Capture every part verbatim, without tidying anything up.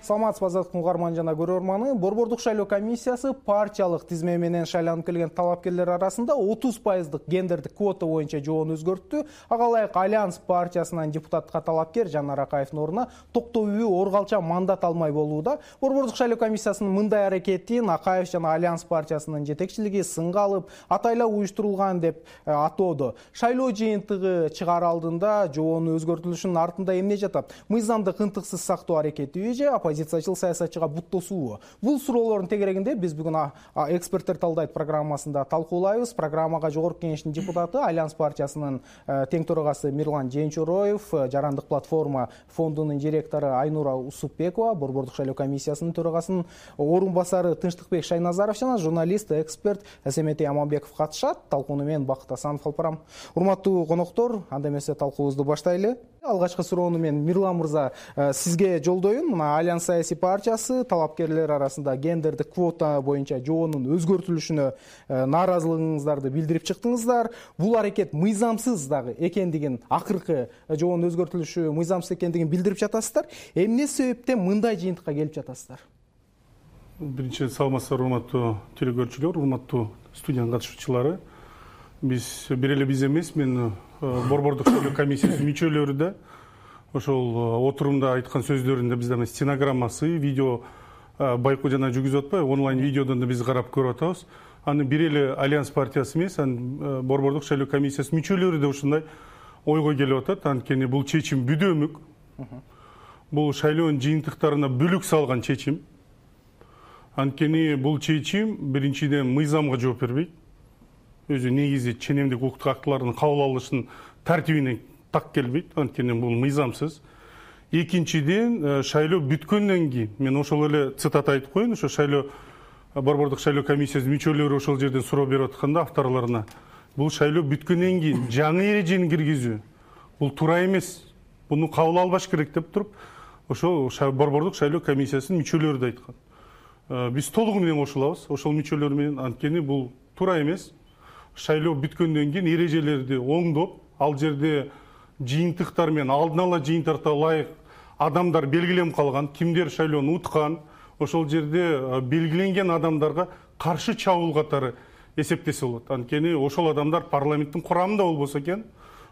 Саламатсызбы азаттыктын угарман жана көрөрманы. Борбордук шайлоо комиссиясы партиялык тизме менен шайланып келген талапкерлер арасында отуз пайыздык гендердик квота боюнча жоон өзгөрттү. Ага ылайык Альянс партиясынан депутатка талапкер Жанар Акаевдин ордуна токтоо үй оргалча мандат алмай болууда. Борбордук шайлоо комиссиясынын мындай аракетин Акаев жана Альянс партиясынын жетекчилиги сынга алып, атайлап уюштурулган деп атоодо. Шайлоо жыйынтыгы чыгаар алдында жоонун өзгөртүлүшүнүн артында эмне жатат? Мыйзамдык ынтыксыз сактоо аракетиби же оппозициячыл саясатчыга буттосуубу? Бул суроолордун тегерегинде биз бүгүн эксперттер талдайт программасында талкуулайбыз. Программага Жогорку Кеңештин депутаты, Альянс партиясынын тең төрагасы Мирлан Жээнчороев, Жарандык платформа фондунун директору Айнура Усупбекова, Борбордук шайлоо комиссиясынын төрагасынын орун басары Тынчтыкбек Шайназаров жана журналист, эксперт Эсеметей Аманбеков катышат. Талкууну мен Бакыт Асанов алып барам. Урматтуу коноктор, анда эмесе талкуубузду баштайлы. Алгачкы суроону мен Мирлан мырза сизге жолдоюн. Мына Альянс саясий партиясы талапкерлер арасында гендердик квота боюнча жоонун өзгөртүлүшүнө нааразылыгыңыздарды билдирип чыктыңыздар. Бул аракет мыйзамсыз дагы экендигин, акыркы жоонун өзгөртүлүшү мыйзамсыз экендигин билдирип жатасыздар. Эмне себептен мындай жыйынтыкка келип жатасыздар? Биринчи саламатсыздар, урматтуу телекөрүүчүлөр, урматтуу студиянын катышуучулары. Биз бир эле биз эмес, мен Борбордук шайлоо комиссиясынын мүчөлөрү да ошол отурумда айткан сөздөрүндө бизде стенограммасы, видео байкоо жана жүргүзүп атпайбы, онлайн видеодон да биз карап көрүп атабыз. Аны бир эле Альянс партиясы эмес, аны Борбордук шайлоо комиссиясынын мүчөлөрү да ушундай ойго келип атат. Анткени бул чечим бүдөмүк. Бул шайлоонун жыйынтыктарына бүлүк салган чечим. Анткени бул чечим биринчиден мыйзамга жооп бербейт. Өзү негизи ченемдик укуктук актылардын кабыл алынышынын тартибине так келбейт. Анткени бул мыйзамсыз. Экинчиден, шайлоо бүткөндөн кийин, мен ошол эле цитата айтып коеюн, ошо шайлоо Борбордук шайлоо комиссиясынын мүчөлөрү ошол жерден суроо берип атканда авторлоруна, бул шайлоо бүткөндөн кийин жаңы эрежени киргизүү бул туура эмес. Буну кабыл албаш керек деп туруп, ошол Борбордук шайлоо комиссиясынын мүчөлөрү да айткан. Биз толугу менен кошулабыз ошол мүчөлөр менен. Анткени бул туура эмес. Шайлоо бүткөндөн кийин эрежелерди оңдоп, ал жерде жыйынтыктар менен алдын ала жыйынтыкка ылайык адамдар белгиленип калган, кимдер шайлоону уткан, ошол жерде белгиленген адамдарга каршы чабуул катары эсептесе болот. Анткени ошол адамдар парламенттин курамында болбосо экен,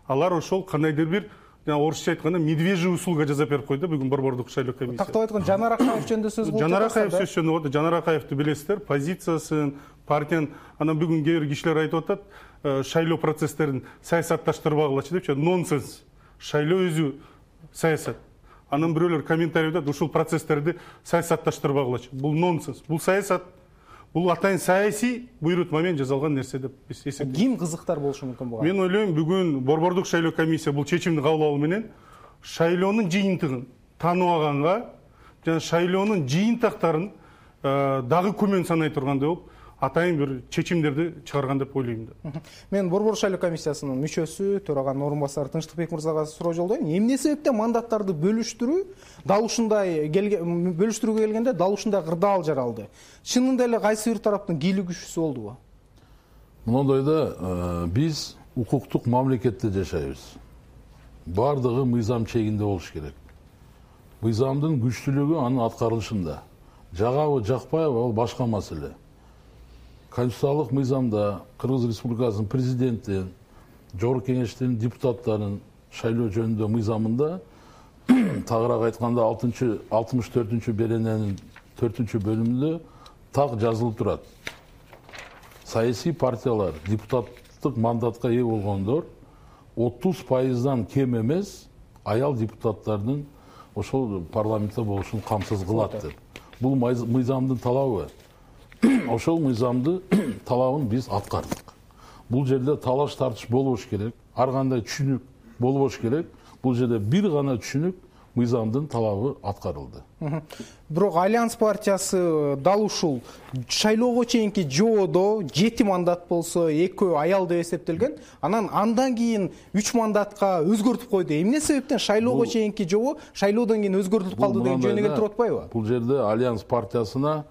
алар ошол кандайдыр бир орусча айтканда медвежий услуга жасап берип койду бүгүн Борбордук шайлоо комиссиясы. Тактап айтканда Жанар Акаев жөнүндө сөз болуп жатат. Жанар Акаев сөз жөнүндө болот. Жанар Акаевди билесиздер, позициясын, партиянын, анан бүгүн кээ бир кишилер айтып атат, шайлоо процесстерин саясатташтырбагылачы депчи. Нонсенс. Шайлоо өзү саясат. Анан бирөөлөр комментарий айтат, ушул процесстерди саясатташтырбагылачы. Бул нонсенс. Бул саясат. Бул атайын саясий буйрутма менен жасалган нерсе деп биз эсептейбиз. Ким кызыктар болушу мүмкүн буга? Мен ойлойм, бүгүн Борбордук шайлоо комиссия бул чечимди кабыл алуу менен шайлоонун жыйынтыгын тааныбаганга жана шайлоонун жыйынтыктарын дагы күмөн санай тургандай болуп, атайын бир чечимдерди чыгарган деп ойлойм да. Мен Борбордук шайлоо комиссиясынын мүчөсү, төраганын орун басары Тынчтыкбек мырзага суроо жолдойм. Эмне себептен мандаттарды бөлүштүрүү дал ушундай бөлүштүрүүгө келгенде дал ушундай кырдаал жаралды? Чынында эле кайсы бир тараптын кийлүү күчүсү болдубу? Мындайда биз укуктук мамлекетте жашайбыз. Бардыгы мыйзам чегинде болуш керек. Мыйзамдын күчтүүлүгү анын аткарылышында. Жагабы, жакпайбы, ал башка маселе. Конституциялык мыйзамда Кыргыз Республикасынын президенти, Жогорку Кеңештин депутаттарынын шайлоо жөнүндө мыйзамында тагыраак айтканда алтымыш төртүнчү берененин төртүнчү бөлүмүндө так жазылып турат. Саясий партиялар депутаттык мандатка ээ болгондор отуз пайыздан кем эмес аял депутаттардын ошол парламентте болушун камсыз кылат деп. Бул мыйзамдын талабы. Ошол мыйзамды талабын биз аткардык. Бул жерде талаш тартыш болбош керек, ар кандай түшүнүк болбош керек. Бул жерде бир гана түшүнүк мыйзамдын талабы аткарылды. Бирок Альянс партиясы дал ушул шайлоого чейинки жоодо жети мандат болсо, экөө аял деп эсептелген. Анан андан кийин үч мандатка өзгөртүп койду. Эмне себептен шайлоого чейинки жоо шайлоодон кийин өзгөртүлүп калды деген жөнүнө келтирип атпайбы? Бул жерде Альянс партиясына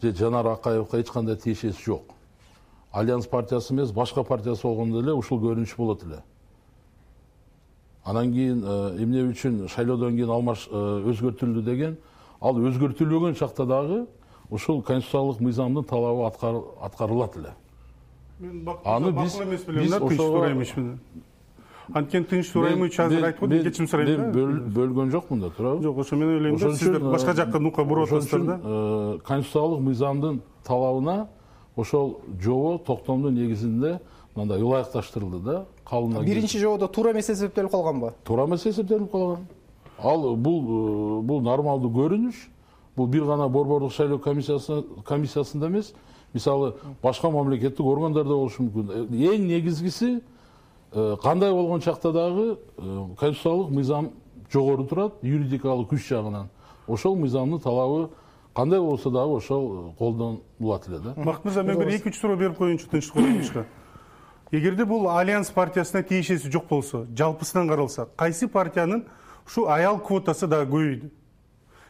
же Жанар Акаевга эч кандай тиешеси жок. Альянс партиясы эмес, башка партиясы болгондо эле ушул көрүнүш болот эле. Анан кийин эмне үчүн шайлоодон кийин алмаш өзгөртүлдү деген ал өзгөртүлбөгөн чакта дагы ошол конституциялык мыйзамдын талабы аткарылат эле. Мен макул эмес билем да, тынч сурайм ишмин. Анткени тынч сурайм үчүн азыр айтып койдум, кечирим сурайм да. Мен бөлгөн жокмун да, туурабы? Жок, ошо мен ойлойм да, сиздер башка жакка нука буруп атасыздар да. Конституциялык мыйзамдын талабына ошол жобо токтомдун негизинде мындай ылайыкташтырылды да, кабылына. Биринчи жободо туура эмес эсептелип калганбы? Туура эмес эсептелип калган. Ал бул бул нормалдуу көрүнүш. Бул бир гана борбордук шайлоо комиссиясында эмес, мисалы башка мамлекеттик органдарда болушу мүмкүн. Эң негизгиси кандай болгон чакта дагы конституциялык мыйзам жогору турат, юридикалык күч жагынан. Ошол мыйзамдын талабы кандай болсо дагы ошол колдонулат эле да. Бакыт мырза, мен бир эки үч суроо берип коеюнчу тынчтык коюнчу. Эгерде бул Альянс партиясына тиешеси жок болсо, жалпысынан каралса, кайсы партиянын ушу аял квотасы дагы көбөйдү?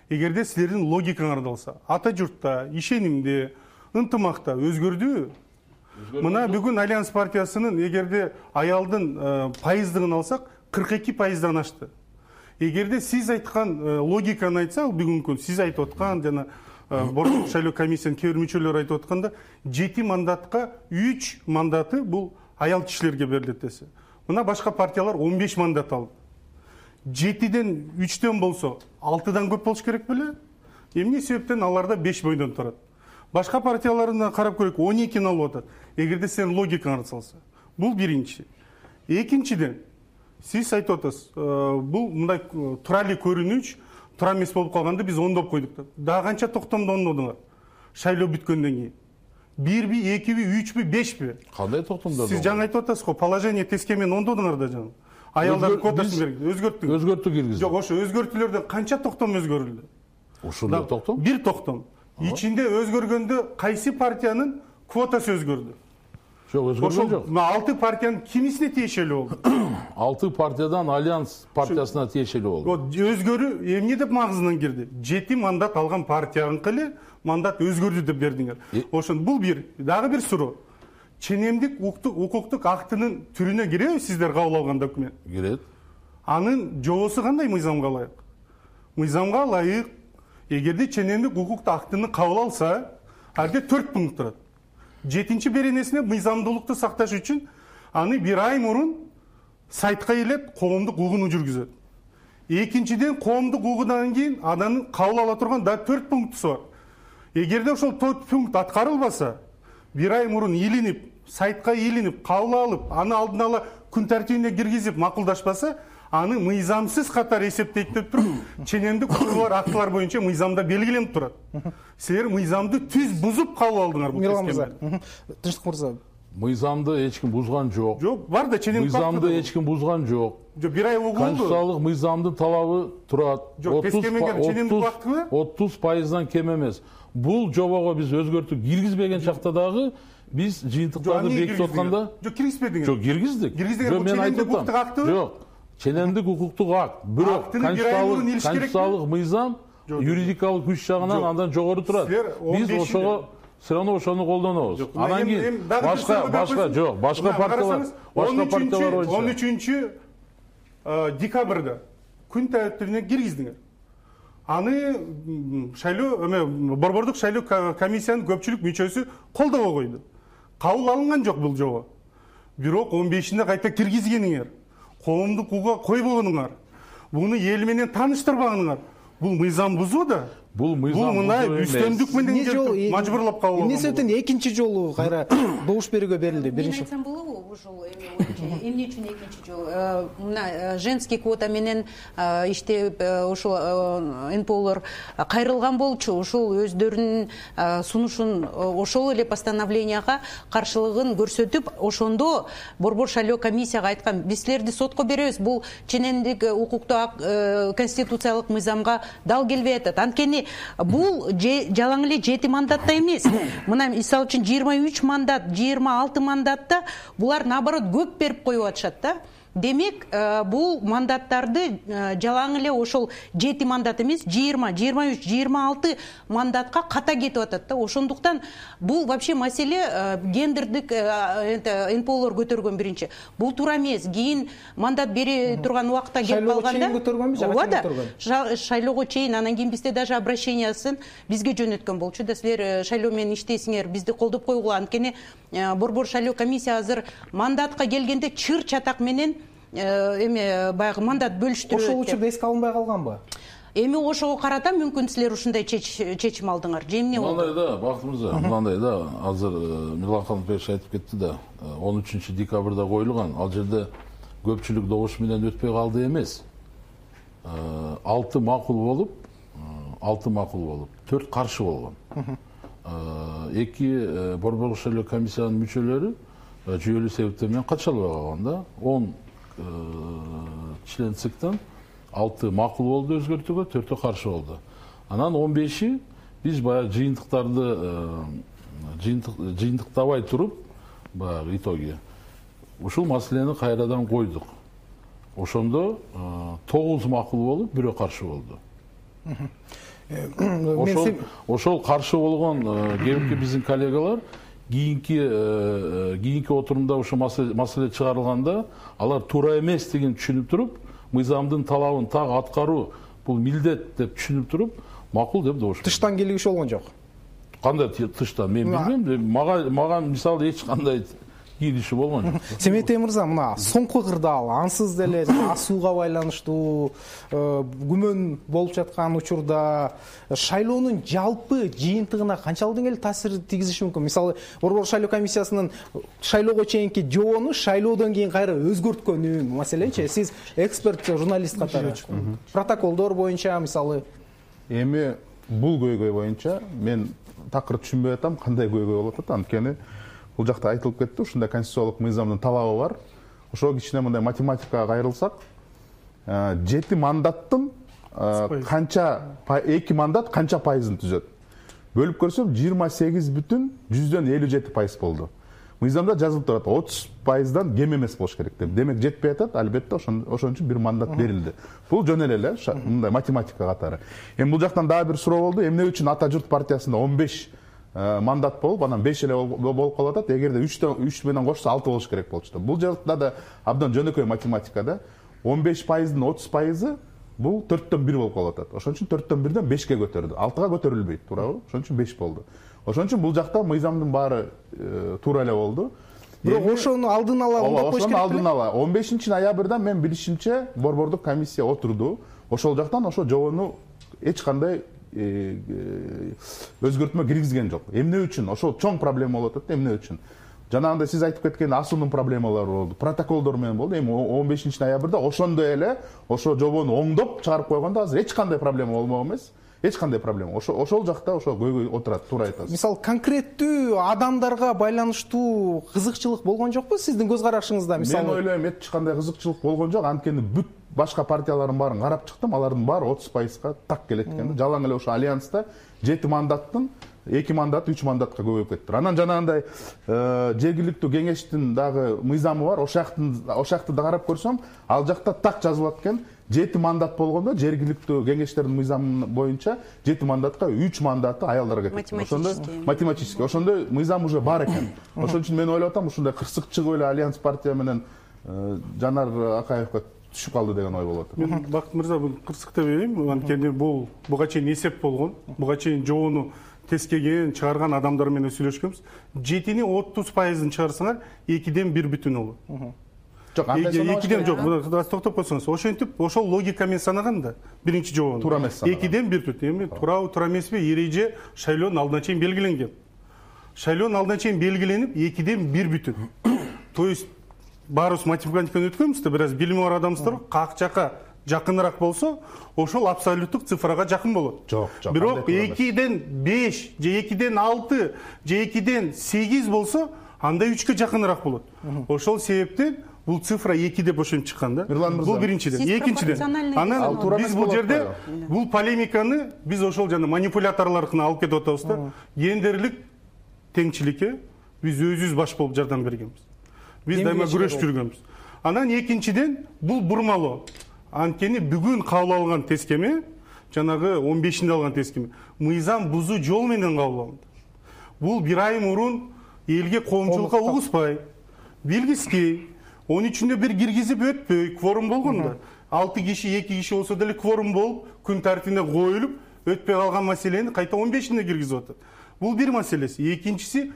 Эгерде силердин логикаңарды алса, ата журтта, ишенимде, ынтымакта өзгөрдүбү? Мына бүгүн Альянс партиясынын эгерде аялдын пайыздыгын алсак, кырк эки пайыздан ашты. Эгерде сиз айткан логиканы айтса, бүгүнкү сиз айтып аткан жана борбордук шайлоо комиссиянын кээ бир мүчөлөрү айтып атканда, жети мандатка үч мандаты бул аял кишилерге берилет десе. Мына башка партиялар он беш мандат алды. жетиден үчтөн болсо алтыдан көп болуш керек беле? Эмне себептен аларда беш бойдон турат? Башка партияларына карап көрөйүк, он экини алып атат. Эгерде сен логикаңарды салса. Бул биринчи. Экинчиден, сиз айтып атасыз, бул мындай тура эле көрүнүш, тура эмес болуп калганды биз ондоп койдук деп. Дагы канча токтомду ондодуңар? Шайлоо бүткөндөн кийин. Бирби, экиби, үчпү, бешпи? Кандай токтомдор? Сиз жаңы айтып атасыз го, положение тескемен ондодуңар да жаңы. Аялдардын квотасын берген, өзгөрттүңүз. Өзгөртү киргиздик. Жок, ошо өзгөртүүлөрдөн канча токтом өзгөрүлдү? Ушул эле токтом? Бир токтом. Ичинде өзгөргөндө кайсы партиянын квотасы өзгөрдү? Жок, өзгөргөн жок. Ошо алты партиянын кимисине тиешелүү болду? алты партиядан Альянс партиясына тиешелүү болду. Өзгөрүү эмне деп магызынан кирди? жети мандат алган партияныкы эле мандат өзгөрдү деп бердиңер. Ошон бул бир, дагы бир суроо. Ченемдик укуктук актынын түрүнө киреби сиздер кабыл алган документ? Кирет. Анын жобосу кандай мыйзамга ылайык? Мыйзамга ылайык. Эгерде ченемдик укуктук актыны кабыл алса, алде төрт пункт турат. Жетинчи беренесине мыйзамдуулукту сакташ үчүн аны бир ай мурун сайтка келет, коомдук угууну жүргүзөт. Экинчиден, коомдук угуудан кийин анын кабыл ала турган да төрт пунктусу бар. Эгерде ошол төрт пункт аткарылбаса, бир ай мурун илинип, сайтка илинип, кабыл алып, аны алдын ала күн тартибине киргизип макулдашпаса, аны мыйзамсыз катары эсептейт деп туруп, ченемдик укугулар актылар боюнча мыйзамда белгиленип турат. Силер мыйзамды түз бузуп кабыл алдыңар бул тескемени. Тынчтык мырза, мыйзамды эч ким бузган жок. Жок, бар да ченемдик мыйзамды эч ким бузган жок. Жок, бир ай угулду. Конституциялык мыйзамдын талабы турат. Жок, тескеменге ченемдик убактыбы? отуз пайыздан кем эмес. Бул жобого биз өзгөртүү киргизбеген чакта дагы биз жыйынтыктарды бекитип атканда жок, киргизбедиңер. Жок, киргиздик. Киргиздиңер, бул ченемдик укуктук актыбы? Жок. Ченемдик укуктук акт, бирок конституциялык мыйзам юридикалык күч жагынан андан жогору турат. Биз ошого все равно ошону колдонобуз. Анан кийин башка башка жок, башка партиялар, башка партиялар боюнча он үчүнчү декабрда күн тартибине киргиздиңер. Аны шайлоо эме борбордук шайлоо комиссиянын көпчүлүк мүчөсү колдобой койду. Кабыл алынган жок бул жобо. Бирок он бешинде кайта киргизгениңер. Коомдук угууга койбогонуңар, буну эл менен тааныштырбаганыңар, бул мыйзам бузуу да. Бул мыйзам бул мына үстөмдүк менен келип мажбурлап кабыл алган. Эмне себептен экинчи жолу кайра добуш берүүгө берилди? Биринчи айтсам болобу, ушул эмне үчүн экинчи жол? Мына женский квота менен иштеп ушул эн пэ олор кайрылган болчу, ушул өздөрүнүн сунушун ошол эле постановленияга каршылыгын көрсөтүп, ошондо борбор шайлоо комиссияга айткан, биз силерди сотко беребиз, бул ченемдик укуктук конституциялык мыйзамга дал келбей атат. Анткени бул жалаң эле жети мандатта эмес. Мына мисалы үчүн жыйырма үч мандат, жыйырма алты мандатта булар наоборот көп берип коюп атышат да. демек бул мандаттарды жалаң эле ошол жети мандат эмес жыйырма жыйырма үч жыйырма алты мандатка ката кетип атат да. Ошондуктан бул вообще маселе гендердик эн пэ олор көтөргөн биринчи. Бул туура эмес. Кийин мандат бере турган убакта келип калганда көтөргөнбү, жага чейин көтөргөн. Шайлоого чейин, анан кийин бизде даже обращениясын бизге жөнөткөн болчу да. Силер шайлоо менен иштейсиңер, бизди колдоп койгула. Анткени борбор шайлоо комиссия азыр мандатка келгенде чыр чатак менен эме баягы мандат бөлүштүрөт. Ошол учурда эске алынбай калганбы? Эми ошого карата мүмкүн силер ушундай чечим алдыңар. Же эмне болду? Мындай да, Бакыт мырза, мындай да, азыр Мирлан Канатбекович айтып кетти да, он үчүнчү декабрда коюлган. Ал жерде көпчүлүк добуш менен өтпөй калды эмес. алты макул болуп, алты макул болуп, төрт каршы болгон. эки борборлук шайлоо комиссиянын мүчөлөрү жүйөлүү себептер менен катыша албай калган да. он член циктен алты макул болду өзгөртүүгө, төртү каршы болду. Анан он беши биз баягы жыйынтыктарды жыйынтыктабай туруп, баягы итоги ушул маселени кайрадан койдук. Ошондо тогуз макул болуп, бирөө каршы болду. Ошол ошол каршы болгон кээинки биздин коллегалар кийинки кийинки отурумда ошо маселе чыгарылганда алар туура эмес деген түшүнүп туруп, мыйзамдын талабын так аткаруу бул милдет деп түшүнүп туруп, макул деп добуш. Тыштан келгиш болгон жок. Кандай тыштан мен билбейм. Мага мага мисалы эч кандай кириши болгон жок. Семетей мырза, мына соңку кырдаал ансыз деле асууга байланыштуу күмөн болуп жаткан учурда шайлоонун жалпы жыйынтыгына канчалык деңгээлде таасир тийгизиши мүмкүн? Мисалы, борбор шайлоо комиссиясынын шайлоого чейинки жобону шайлоодон кийин кайра өзгөрткөнү, маселенчи, сиз эксперт, журналист катары протоколдор боюнча мисалы эми бул көйгөй боюнча мен такыр түшүнбөй атам, кандай көйгөй болуп атат. Анткени бул жакта айтылып кетти, ушундай конституциялык мыйзамдын талабы бар. Ошо кичине мындай математикага кайрылсак, жети мандаттын канча эки мандат канча пайызын түзөт? Бөлүп көрсөм жыйырма сегиз бүтүн жүздөн элүү жети пайыз болду. Мыйзамда жазылып турат, отуз пайыздан кем эмес болуш керек деп. Демек жетпей атат, албетте ошон үчүн бир мандат берилди. Бул жөн эле мындай математика катары. Эми бул жактан дагы бир суроо болду. Эмне үчүн Ата журт партиясында он беш мандат болуп, анан беш эле болуп калып атат. Эгерде үч менен кошсо алты болуш керек болчу. Бул жакта да абдан жөнөкөй математика да. он беш пайыздын отуз пайызы бул төрттөн бир болуп калып атат. Ошон үчүн төрттөн бирден бешке көтөрдү. алтыга көтөрүлбөйт, туурабы? Ошон үчүн беш болду. Ошон үчүн бул жакта мыйзамдын баары туура эле болду. Бирок ошону алдын ала оңдоп коюш керек. Алдын ала он бешинчи ноябрда мен билишимче борбордук комиссия отурду. Ошол жактан ошо жобону эч кандай өзгөртмө киргизген жок. Эмне үчүн? Ошол чоң проблема болуп атат. Эмне үчүн? Жанагындай сиз айтып кеткен асуунун проблемалары болду, протоколдор менен болду. Эми он бешинчи ноябрда ошондой эле ошо жобону оңдоп чыгарып койгондо азыр эч кандай проблема болмок эмес. Эч кандай проблема. Ошол ошол жакта ошо көйгөй отурат, туура айтасыз. Мисалы, конкреттүү адамдарга байланыштуу кызыкчылык болгон жокпу сиздин көз карашыңызда? Мисалы, мен ойлойм эч кандай кызыкчылык болгон жок. Анткени бүт башка партиялардын баарын карап чыктым, алардын баары отуз пайызга так келет экен да. Жалаң эле ошо альянста жети мандаттын эки мандат үч мандатка көбөйүп кетти. Анан жанагындай жергиликтүү кеңештин дагы мыйзамы бар. Ошактын ошакты да карап көрсөм, ал жакта так жазылат экен. жети мандат болгондо жергиликтүү кеңештердин мыйзамы боюнча жети мандатка үч мандаты аялдарга кетет. Ошондо математически, ошондой мыйзам уже бар экен. Ошон үчүн мен ойлоп атам, ушундай кырсык чыгып эле Альянс партия менен Жанар Акаевга түшүп калды деген ой болот. Мен Бакыт мырза бул кырсык деп элейм. Анткени бул буга чейин эсеп болгон, буга чейин жобону тескеген, чыгарган адамдар менен сүйлөшкөнбүз. жетини отуз пайызын чыгарсаңар, экиден бир бүтүн болот. Жок, экиден жок, токтоп койсоңуз. Ошентип, ошол логикамен санаганда биринчи жобону туура эмес санаган. экиден бир бүтүн. Эми туурабы, туура эмеспи? Эреже шайлоонун алдына чейин белгиленген. Шайлоонун алдына чейин белгиленип, экиден бир бүтүн. То есть баарыбыз математиканы өткөнбүз да, бир аз билими бар адамсыздар, как жака жакыныраак болсо, ошол абсолюттук цифрага жакын болот. Жок, жок. Бирок экиден беш же экиден алты же экиден сегиз болсо, анда үчкө жакыныраак болот. Ошол себептен бул цифра эки деп ошентип чыккан да. Бул биринчиден. Экинчиден, анан биз бул жерде бул полемиканы биз ошол жана манипуляторлордуна алып кетип атабыз да. Гендерлик теңчиликке биз өзүбүз баш болуп жардам бергенбиз. Биз дайыма күрөшүп жүргөнбүз. Анан экинчиден бул бурмалоо. Анткени бүгүн кабыл алган тескеме, жанагы он бешинде алган тескеме, мыйзам бузуу жол менен кабыл алынды. Бул бир ай мурун элге коомчулукка угузбай, билгизбей, он үчүндө бир киргизип өтпөй, кворум болгон да. алты киши, эки киши болсо деле кворум болуп, күн тартибине коюлуп, өтпөй калган маселени кайта он бешинде киргизип атат. Бул бир маселеси. Экинчиси,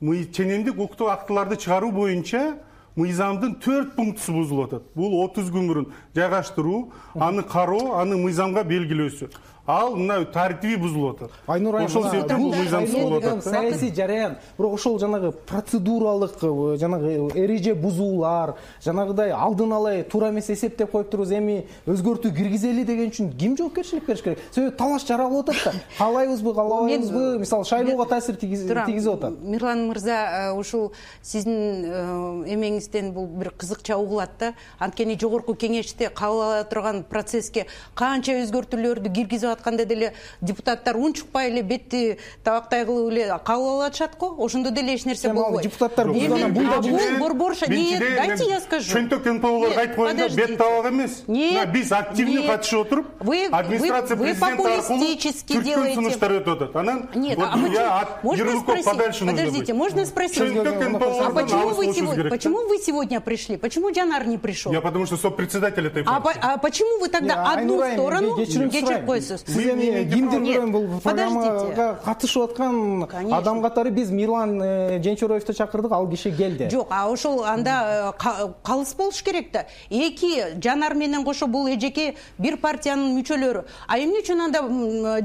ченемдик укуктук актыларды чыгаруу боюнча мыйзамдын төрт пунктусу бузулуп атат. Бул отуз күн мурун жайгаштыруу, аны кароо, аны мыйзамга белгилөөсү. Ал мына тартиби бузулуп атат. Айнур айым, ошол себептен бул мыйзам бузулуп атат. Саясий жараян, бирок ошол жанагы процедуралык, жанагы эреже бузуулар, жанагыдай алдын ала туура эмес эсептеп коюп турбуз, эми өзгөртүү киргизели деген үчүн ким жоопкерчилик бериш керек? Себеби талаш жаралып атат да. Каалайбызбы, каалабайбызбы? Мисалы, шайлоого таасир тийгизип атат. Мирлан мырза, ушул сиздин эмеңизден бул бир кызыкча угулат да. Анткени жогорку кеңеште кабыл ала турган процесске канча өзгөртүүлөрдү киргизип атканда деле депутаттар унчукпай эле бетти табактай кылып эле кабыл алышат го. Ошондо деле эч нерсе болбойт. Депутаттар бул борборша. Нет, дайте я скажу. Чөнтөк НПОлор айтып койгондо бет табак эмес. Биз активный катышып отуруп, администрация президента аркылуу түркөн сунуштар өтүп атат. Анан я от ярлыков подальше нужно быть. Подождите, можно спросить? А почему вы сегодня, почему вы сегодня пришли? Почему Жанар не пришел? Я потому что сопредседатель этой фракции. А почему вы тогда одну сторону кечирип койсуз? Сиз эми кимдир бирөө бул программага катышып аткан адам катары биз Мирлан Женчороевду чакырдык, ал киши келди. Жок, а ошол анда калыс болуш керек да. Эки Жанар менен кошо бул эжеке бир партиянын мүчөлөрү. А эмне үчүн анда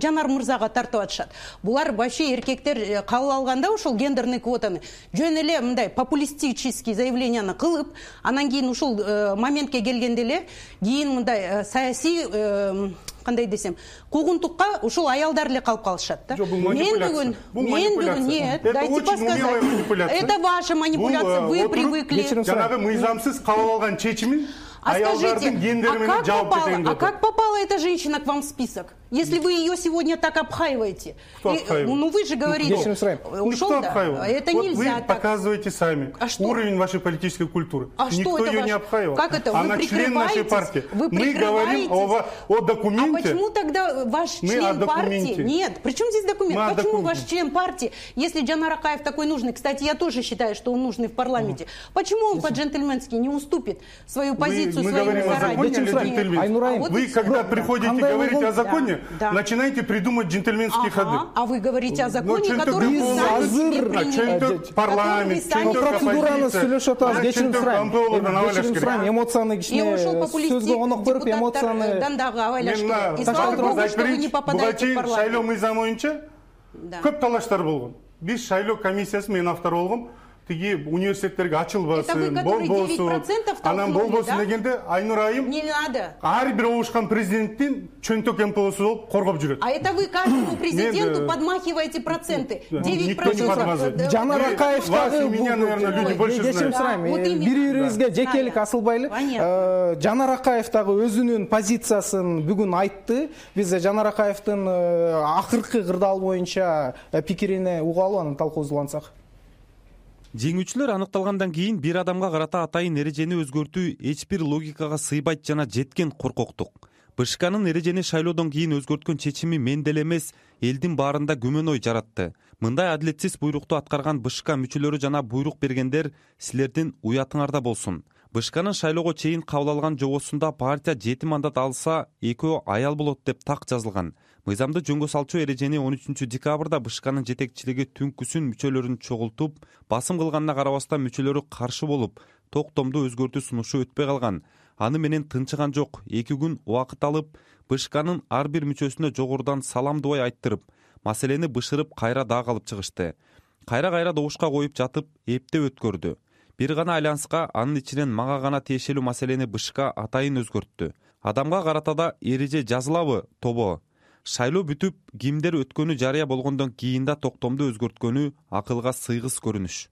Жанар мырзага тартып атышат? Булар вообще эркектер кабыл алганда ошол гендерный квотаны жөн эле мындай популистический заявленияны кылып, анан кийин ушул моментке келгенде эле кийин мындай саясий кандай десем, куугунтукка ушул аялдар эле калып калышат да. Мен бүгүн, мен бүгүн нет, дайте подсказать. Это ваша манипуляция, вы привыкли. Жанагы мыйзамсыз кабыл алган чечимин аялдардын гендери менен жаап кетейин. А как попала эта женщина к вам в список? Если вы ее сегодня так обхаиваете. Кто обхаивает? Ну вы же говорите. Никто обхаивает. Это нельзя так. Вы показываете сами уровень вашей политической культуры. А Никто ее не обхаивал. Как это? Она член нашей партии. Мы говорим о документе. А почему тогда ваш член партии? Нет, при чем здесь документ? Почему ваш член партии, если Жанар Акаев такой нужный, кстати, я тоже считаю, что он нужный в парламенте, почему он по-джентльменски не уступит свою позицию мы своим говорим о законе или джентльменстве? Вы, когда приходите говорить о законе, да. начинаете придумать джентльменские ага. ходы. А вы говорите о законе, ну, который вы сами себе приняли. Парламент, процедураны сүйлөшүп атабыз, кечирим сурайм. Кечирим сурайм, эмоцияны кичине сөзгө конок берип, эмоцияны дагы абайлаш керек. И слава богу, что вы не попадаете в парламент. Шайлоо мыйзамы боюнча көп талаштар болгон. Биз шайлоо комиссиясы, мен автор болгом. Тиги университеттерге ачылбасын, болбосун, анан болбосун дегенде Айнур айым не надо. Ар бир оушкан президенттин чөнтөк МПОсу болуп коргоп жүрөт. А это вы каждому президенту подмахиваете проценты. девять процентов. Жанар Акаев дагы меня, наверное, люди больше знают. Бири-бирибизге жекелик асылбайлы. Жанар Акаев дагы өзүнүн позициясын бүгүн айтты. Биз Жанар Акаевдин акыркы кырдаал боюнча пикирине угалы, аны талкуузлансак. Жеңүүчүлөр аныкталгандан кийин бир адамга карата атайын эрежени өзгөртүү эч бир логикага сыйбайт жана жеткен коркоктук. БШКнын эрежени шайлоодон кийин өзгөрткөн чечими мен деле эмес, элдин баарында күмөн ой жаратты. Мындай адилетсиз буйрукту аткарган БШК мүчөлөрү жана буйрук бергендер силердин уятыңарда болсун. БШКнын шайлоого чейин кабыл алган жобосунда партия жети мандат алса, экөө аял болот деп так жазылган. Мыйзамды жөнгө салчу эрежени он үчүнчү декабрда БШКнын жетекчилиги түнкүсүн мүчөлөрүн чогултуп, басым кылганына карабастан мүчөлөрү каршы болуп, токтомду өзгөртүү сунушу өтпөй калган. Аны менен тынчыган жок. эки күн убакыт алып, БШКнын ар бир мүчөсүнө жогорудан салам дубай айттырып, маселени бышырып кайра дагы алып чыгышты. Кайра-кайра добушка коюп жатып, эптеп өткөрдү. Бир гана айланска, анын ичинен мага гана тиешелүү маселени БШК атайын өзгөрттү. Адамга карата да эреже жазылабы, тобо? Шайлоо бүтүп, кимдер өткөнү жарыя болгондон кийин да токтомду өзгөрткөнү акылга сыйгыс көрүнүш.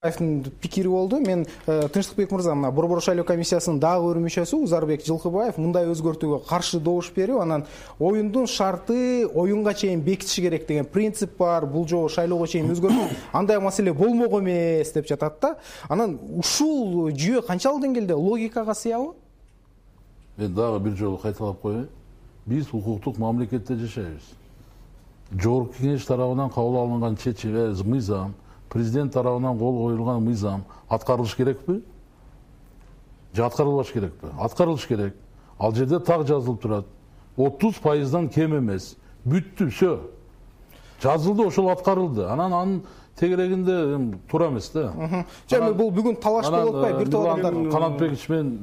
пикири болду. Мен Тынчтыкбек мырза, мына Борбор шайлоо комиссиясынын дагы бир мүчөсү Узарбек Жылкыбаев мындай өзгөртүүгө каршы добуш берип, анан оюндун шарты оюнга чейин бекитиш керек деген принцип бар. Бул жолу шайлоого чейин өзгөртүү андай маселе болмок эмес деп жатат да. Анан ушул жүйө канчалык деңгээлде логикага сыябы? Мен дагы бир жолу кайталап коеюн. Биз укуктук мамлекетте жашайбыз. Жогорку кеңеш тарабынан кабыл алынган чечим, мыйзам, президент тарабынан кол коюлган мыйзам аткарылыш керекпи? Же аткарылбаш керекпи? Аткарылыш керек. Ал жерде так жазылып турат. отуз пайыздан кем эмес. Бүттү, все. Жазылды, ошол аткарылды. Анан анын тегерегинде туура эмес да. Жана бул бүгүн талаш болуп атпайбы? Бир топ адамдар Канатбекович менен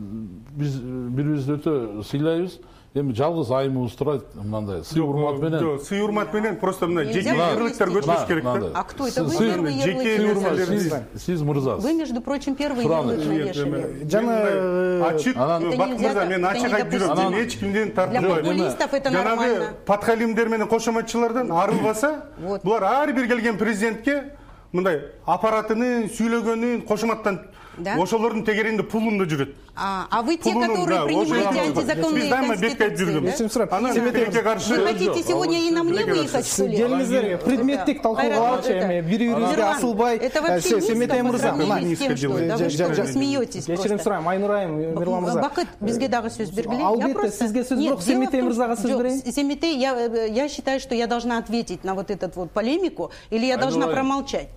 биз бири-бирибизди өтө сыйлайбыз. Эми жалгыз айымыбыз турат, мындай сый урмат менен. Жок, сый урмат менен просто мына жеке ярлыктар көтөрүш керек да. А кто это? Вы первый ярлык. Сиз мырзасыз. Вы, между прочим, первый ярлык навешали. Жана ачык, Бакыт мырза, мен ачык айтып жүрөм. Мен эч кимден тартынбайм. Для популистов это нормально. Жанагы подхалимдер менен кошоматчылардан арылбаса, булар ар бир келген президентке мындай аппаратынын сүйлөгөнүн кошоматтан ошолордун тегерегинде пулунда жүрөт. А вы те, которые принимаете антизаконные конституции, вы хотите сегодня и на мне выехать, что ли? Келиңиздер, предметтик талкууга алчу эми бири-бирибизге асылбай. Это вообще Семетей мырза, с тем, что вы что, смеетесь просто. Кечирим сурайм, Айнур айым, Мирлан мырза. Бакыт, бизге дагы сөз бергиле. Албетте, сизге сөз бирок Семетей мырзага сөз берейин. Семетей, я считаю, что я должна ответить на вот эту вот полемику, или я должна промолчать.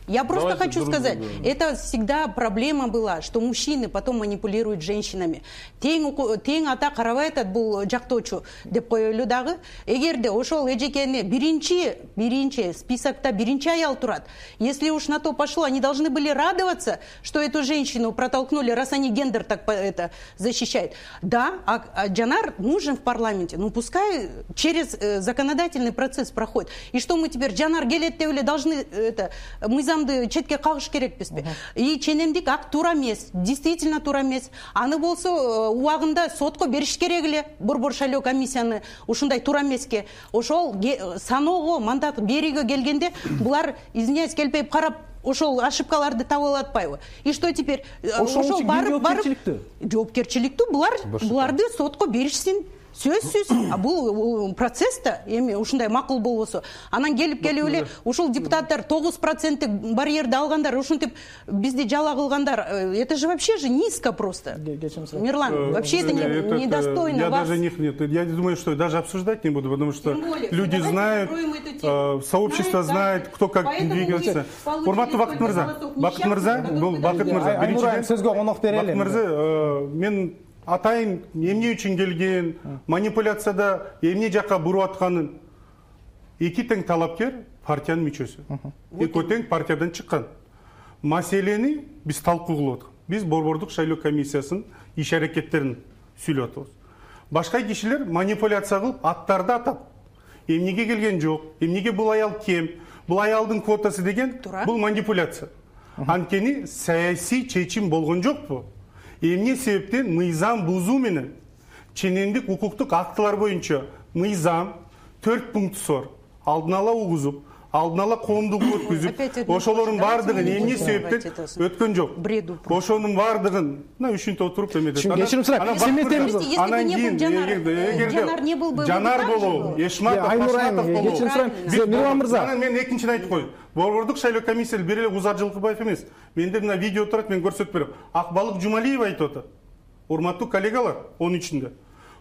Я просто Давайте хочу сказать, другу, да. Это всегда проблема была, что мужчины потом манипулируют женщинами. Тең ата карабайтат бул жактоочу деп коелу дагы. Эгерде ошол эжекени биринчи, биринчи списокта биринчи аял турат. Если уж на то пошло, они должны были радоваться, что эту женщину протолкнули, раз они гендер так это защищают. Да, а, а Джанар нужен в парламенте, ну пускай через э, законодательный процесс проходит. И что мы теперь, Джанар Гелеттеуле должны это мы четке кагыш керекпизби? И ченемдик ак туура эмес, действительно туура эмес. Аны болсо убагында сотко бериш керек эле. Борбор шайлоо комиссияны ушундай туура эмеске. Ошол саноого мандат берүүгө келгенде булар извиняюсь келбей карап ошол ошибкаларды таба алып атпайбы? И что теперь? Ошол барып барып жоопкерчиликтүү булар буларды сотко беришсин. Сөзсүз, а бул процесста эми ушундай макул болбосо, анан келип келип эле ушул депутаттар тогуз проценттик барьерди алгандар, ушинтип бизди жала кылгандар, это же вообще же низко просто. Мирлан, вообще это недостойно я вас. Даже не, я думаю, что даже обсуждать не буду, потому что люди знают, сообщество знает, кто как двигается. Урматтуу Бакыт мырза, Бакыт мырза, бул Бакыт мырза, биринчиден сөзгө конок берели. Бакыт мырза, мен атайын эмне үчүн келген, манипуляцияда эмне жакка буруп атканын эки тең талапкер партиянын мүчөсү. Экөө тең партиядан чыккан. Маселени биз талкуу кылып аткан. Биз Борбордук шайлоо комиссиясынын иш аракеттерин сүйлөп атабыз. Башка кишилер манипуляция кылып аттарды атап, эмнеге келген жок, эмнеге бул аял кем, бул аялдын квотасы деген бул манипуляция. Анткени саясий чечим болгон жокпу? Эмне себептен мыйзам бузуу менен ченемдик укуктук актылар боюнча мыйзам төрт пункту бар. Алдын ала угузуп, алдын ала коомдук өткүзүп, ошолордун баардыгын эмне себептен өткөн жок. Ошонун баардыгын мына үчүнтө отуруп эметет. Кечирим сурайм. Семетей Анан кийин эгерде Жанар болобу, Эшматов, Ашматов болобу. Кечирим сурайм. Мирлан мырза. Анан мен экинчини айтып коеюн. Борбордук шайлоо комиссиясы бир эле Узар Жылкыбаев эмес. Менде мына видео турат, мен көрсөтүп берем. Акбалык Жумалиева айтып атат. Урматтуу коллегалар, он үчүндө.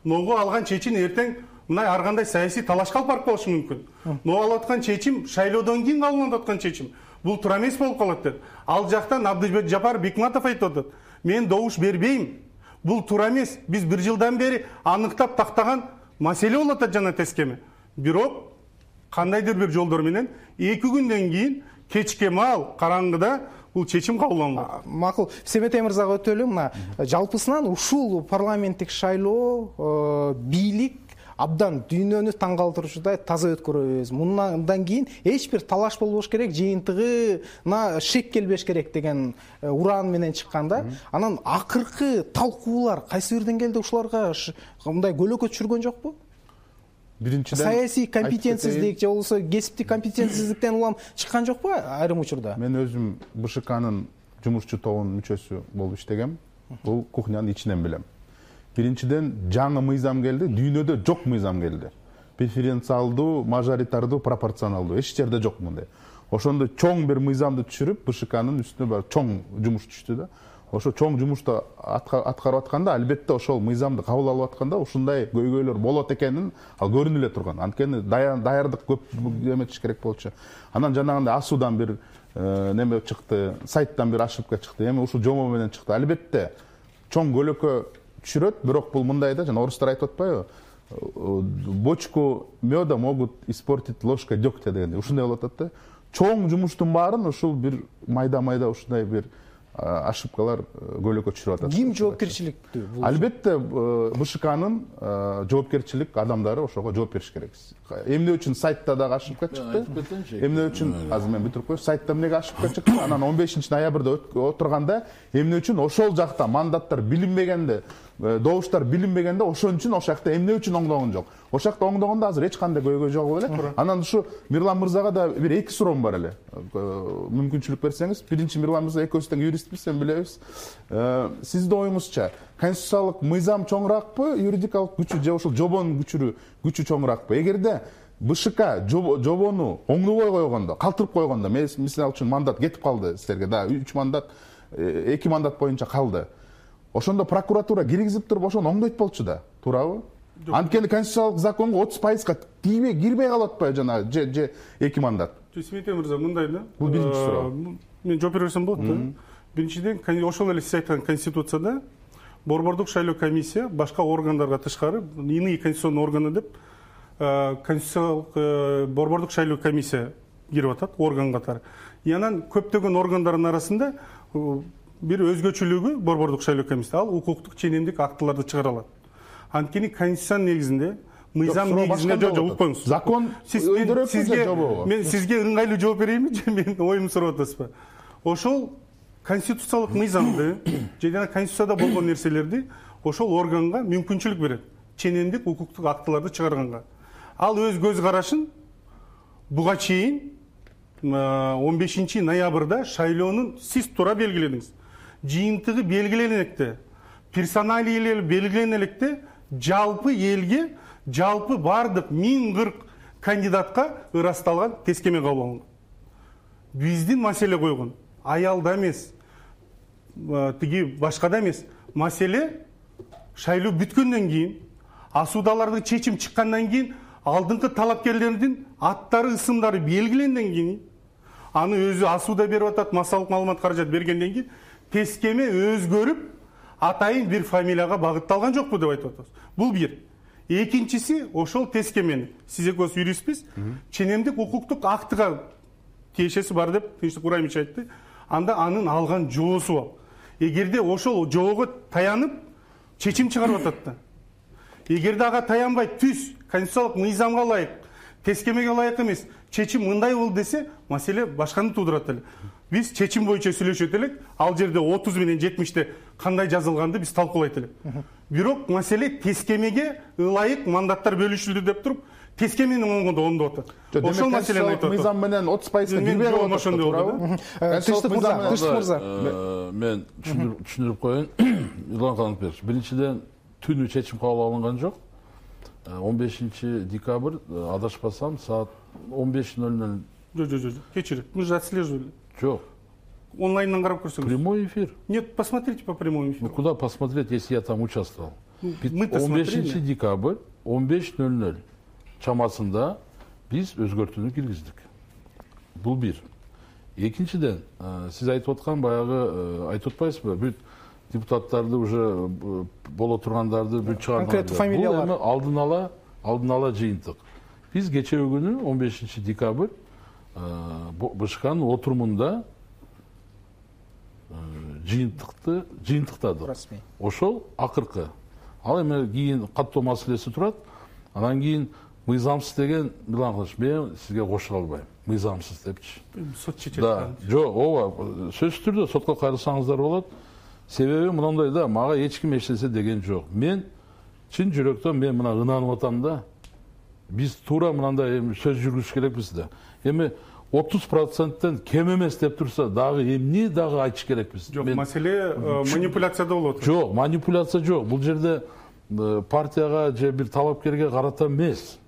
Ногу алган чечим эртең мына ар кандай саясий талашка алып барып калышы мүмкүн. Но алып аткан чечим шайлоодон кийин кабылданып аткан чечим. Бул туура эмес болуп калат деп. Ал жактан Абдыжбек Жапаров Бекматов айтып атат. Мен добуш бербейм. Бул туура эмес. Биз бир жылдан бери аныктап тактаган маселе болуп атат жана тескеме. Бирок кандайдыр бир жолдор менен эки күндөн кийин кечке маал караңгыда бул чечим кабылданган. Макул. Семетей мырзага өтөлүм. Мына жалпысынан ушул парламенттик шайлоо бийлик абдан дүйнөнү таң калтыруучудай таза өткөрөбүз. Мындан кийин эч бир талаш болбош керек, жыйынтыгына шек келбеш керек деген уран менен чыкканда, анан акыркы талкуулар кайсы бир деңгээлде ушуларга мындай көлөкө түшүргөн жокпу? биринчиден саясий компетенциялык же болбосо кесиптик компетенциялыктен улам чыккан жокпу айрым учурда? Мен өзүм БШКнын жумушчу тобунун мүчөсү болуп иштегем. Бул кухнянын ичинен билем. Биринчиден жаңы мыйзам келди, дүйнөдө жок мыйзам келди. Преференциалдуу, мажоритардуу, пропорционалдуу эч жерде жок мындай. Ошондо чоң бир мыйзамды түшүрүп, БШКнын үстүнө бар чоң жумуш түштү да. Ошо чоң жумушту аткарып атканда, албетте ошол мыйзамды кабыл алып атканда ушундай көйгөйлөр болот экенин ал көрүнүп эле турган. Анткени даярдык көп эметиш керек болчу. Анан жанагындай асуудан бир неме чыкты, сайттан бир ошибка чыкты. Эми ушул жобо менен чыкты. Албетте чоң көлөкө түшүрөт, бирок бул мындай да, жана орустар айтып атпайбы? Бочку меда могут испортить ложка дегтя дегенде. Ушундай болуп атат да. Чоң жумуштун баарын ушул бир майда-майда ушундай бир ошибкалар көлөкө түшүрүп атат. Ким жоопкерчиликтүү? Албетте БШКнын жоопкерчилик адамдары ошого жооп бериш керек. Эмне үчүн сайтта дагы ошибка чыкты? Эмне үчүн азыр мен бүтүрүп коеюн. Сайтта эмнеге ошибка чыкты? Анан он бешинчи ноябрда отурганда эмне үчүн ошол жакта мандаттар билинбегенде, добуштар билинбегенде ошон үчүн ошол жакта эмне үчүн оңдогон жок. Ошол жакта оңдогондо азыр эч кандай көйгөй жок эле. Анан ушу Мирлан мырзага да бир эки суроом бар эле. Мүмкүнчүлүк берсеңиз, биринчи Мирлан мырза экөөбүз тең юристпиз, эми билебиз. Сиздин оюңузча конституциялык мыйзам чоңураакпы, юридикалык күчү же ошол жобонун күчүрү күчү чоңураакпы? Эгерде БШК жобону оңдобой койгондо, калтырып койгондо, мисалы үчүн мандат кетип калды силерге, да, үч мандат, эки мандат боюнча калды. Ошондо прокуратура киргизип туруп ошону оңдойт болчу да, туурабы? Анткени конституциялык законго отуз пайызга тийбей, кирбей калып атпайбы жана же же эки мандат? Сметен мырза, мындай да. Бул биринчи суроо. Мен жооп бере берсем болот да. Биринчиден, ошол эле сиз айткан конституцияда борбордук шайлоо комиссия башка органдарга тышкары иные конституционный органы деп конституциялык борбордук шайлоо комиссия кирип атат орган катары. И анан көптөгөн органдардын арасында бир өзгөчөлүгү борбордук шайлоо комиссия, ал укуктук ченемдик актыларды чыгара алат. Анткени конституциянын негизинде, мыйзам негизинде жок, жок, укпоңуз. Закон өйдөрөт же жобобу? Мен сизге ыңгайлуу жооп берейинби же мен оюмду сурап атасызбы? Ошол конституциялык мыйзамды же жана конституцияда болгон нерселерди ошол органга мүмкүнчүлүк берет. Ченемдик укуктук актыларды чыгарганга. Ал өз көз карашын буга чейин он бешинчи ноябрда шайлоонун сиз туура белгиледиңиз. Жыйынтыгы белгиленген электе, персоналийлер белгиленген электе, жалпы элге, жалпы бардык миң кырк кандидатка ырасталган тескеме кабыл алынган. Биздин маселе койгон аялда эмес, тиги башкада эмес. Маселе шайлоо бүткөндөн кийин, асуудаларды чечим чыккандан кийин, алдыңкы талапкерлердин аттары, ысымдары белгиленден кийин, аны өзү асууда берип атат, массалык маалымат каражат бергенден кийин тескеме өзгөрүп, атайын бир фамилияга багытталган жокпу деп айтып атабыз. Бул бир. Экинчиси, ошол тескемени, сиз экөөбүз юристпиз, ченемдик укуктук актыга тиешеси бар деп Тынчтык Кураймович айтты. Анда анын алган жоосу бар. Эгерде ошол жоого таянып чечим чыгарып атат да. Эгерде ага таянбай түз конституциялык мыйзамга ылайык, тескемеге ылайык эмес, чечим мындай болду десе, маселе башканы туудурат эле. Биз чечим боюнча сүйлөшөт элек, ал жерде отуз менен жетимиште кандай жазылганды биз талкуулайт элек. Бирок маселе тескемеге ылайык мандаттар бөлүшүлдү деп туруп, тескемени оңгондо оңдоп атат. Ошол маселени айтып атат. Мыйзам менен отуз пайызга кирбей калып атат, туурабы? Тынчтык мырза, Тынчтык мырза. Мен түшүндүрүп коеюн. Илгам Канатбекович, биринчиден түнү чечим кабыл алынган жок. он бешинчи декабрь, адашпасам, саат он беш ноль ноль. Жок, жок, жок. Кечирет. Мы же отслеживали. Жок. Онлайндан карап көрсөңүз. Прямой эфир. Нет, посмотрите по прямому эфиру. Ну куда посмотреть, если я там участвовал? Мы-то он бешинчи смотрели. декабрь, он беш ноль ноль чамасында биз өзгөртүүнү киргиздик. Бул бир. Экинчиден, сиз айтып аткан баягы айтып атпайсызбы? Бүт депутаттарды уже боло тургандарды бүт чыгарган. Конкреттүү фамилиялар. Бул эми алдын ала, алдын ала жыйынтык. Биз кечеги күнү он бешинчи декабрь БШКнын отурумунда жыйынтыкты жыйынтыктадык. Ошол акыркы. Ал эми кийин каттоо маселеси турат. Анан кийин мыйзамсыз деген Мирлан Канатович, мен сизге кошула албайм. Мыйзамсыз депчи. Сот чечет. Да, жок, ооба, сөзсүз түрдө сотко кайрылсаңыздар болот. Себеби мындай да, мага эч ким эч нерсе деген жок. Мен чын жүрөктөн мен мына ынанып атам да. биз туура мындай эми сөз жүргүзүш керекпиз да. Эми отуз проценттен кем эмес деп турса дагы эмне дагы айтыш керекпиз? Жок, маселе манипуляцияда болуп атат. Жок, манипуляция жок. Бул жерде партияга же бир талапкерге карата эмес.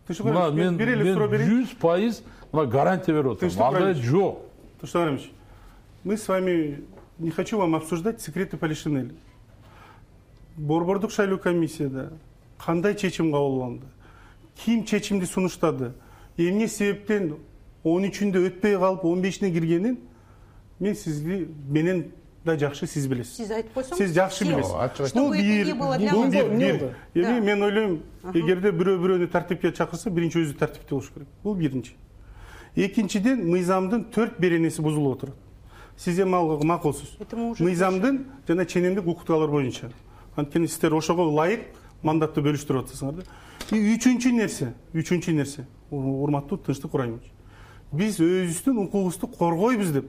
Мына мен жүз пайыз мына гарантия берип атам. Андай жок. Тынчтык Рамилович, мы с вами не хочу вам обсуждать секреты Полишинеля. Борбордук шайлоо комиссияда кандай чечим кабыл алынды? Ким чечимди сунуштады? Эмне себептен он үчүндө өтпөй калып он бешине киргенин мен сизди менен да жакшы сиз билесиз. Сиз айтып койсоңуз. Сиз жакшы билесиз. Бул бир, бул бир. Эми мен ойлойм, эгерде бирөө бирөөнү тартипке чакырса, биринчи өзү тартипте болуш керек. Бул биринчи. Экинчиден, мыйзамдын төрт беренеси бузулуп отурат. Сиз эми алга макулсуз. Мыйзамдын жана ченемдик укуктуулар боюнча. Анткени сиздер ошого ылайык мандатты бөлүштүрүп атасыңар да. И үчүнчү нерсе, үчүнчү нерсе, урматтуу Тынчтык Кураймович. Биз өзүбүздүн укугубузду коргойбуз деп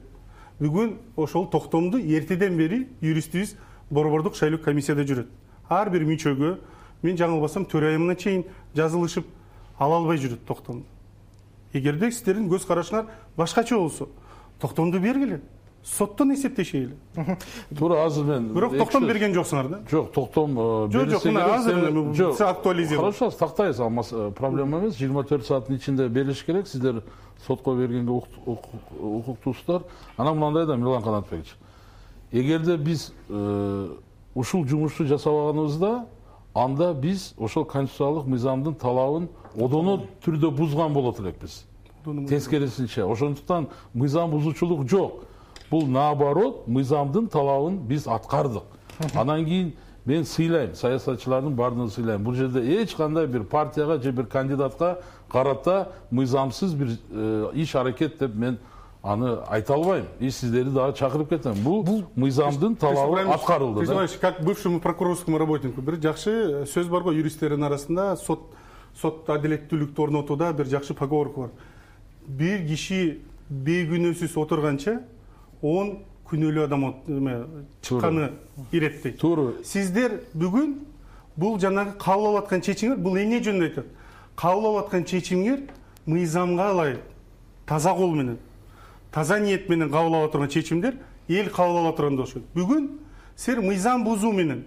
бүгүн ошол токтомду эртеден бери юристибиз борбордук шайлоо комиссияда жүрөт. Ар бир мүчөгө мен жаңылбасам төрайымына чейин жазылышып ала албай жүрөт токтомду. Эгерде сиздердин көз карашыңар башкача болсо, токтомду бергиле. Соттон эсептешели. Туура азыр мен. Бирок токтом берген жоксуңар да? Жок, токтом берсе керек. Жок, азыр сиз актуализируйт. Хорошо, тактайбыз, проблема эмес. жыйырма төрт сааттын ичинде бериш керек. Сиздер сотко бергенге укуктуусуздар. Анан мындай да Мирлан Канатбекович. Эгерде биз ушул жумушту жасабаганыбызда, анда биз ошол конституциялык мыйзамдын талабын одоно түрдө бузган болот элекпиз. Тескерисинче. Ошондуктан мыйзам бузуучулук жок. Бул наоборот, мыйзамдын талабын биз аткардык. Анан кийин мен сыйлайм, саясатчылардын баардыгын сыйлайм. Бул жерде эч кандай бир партияга же бир кандидатка карата мыйзамсыз бир иш аракет деп мен аны айта албайм. И сиздерди дагы чакырып кетем. Бул мыйзамдын талабы аткарылды да. Как бывшему прокурорскому работнику бир жакшы сөз бар го юристтердин арасында, сот сот адилеттүүлүктү орнотууда бир жакшы поговорка бар. Бир киши бейгүнөөсүз отурганча он күнөөлүү адам чыкканы иреттейт. Туура. Сиздер бүгүн бул жанагы кабыл алып аткан чечимдер бул эмне жөнүндө айтат? Кабыл алып аткан чечимдер мыйзамга ылайык, таза кол менен, таза ниет менен кабыл алып турган чечимдер эл кабыл алып тургандай болушат. Бүгүн силер мыйзам бузуу менен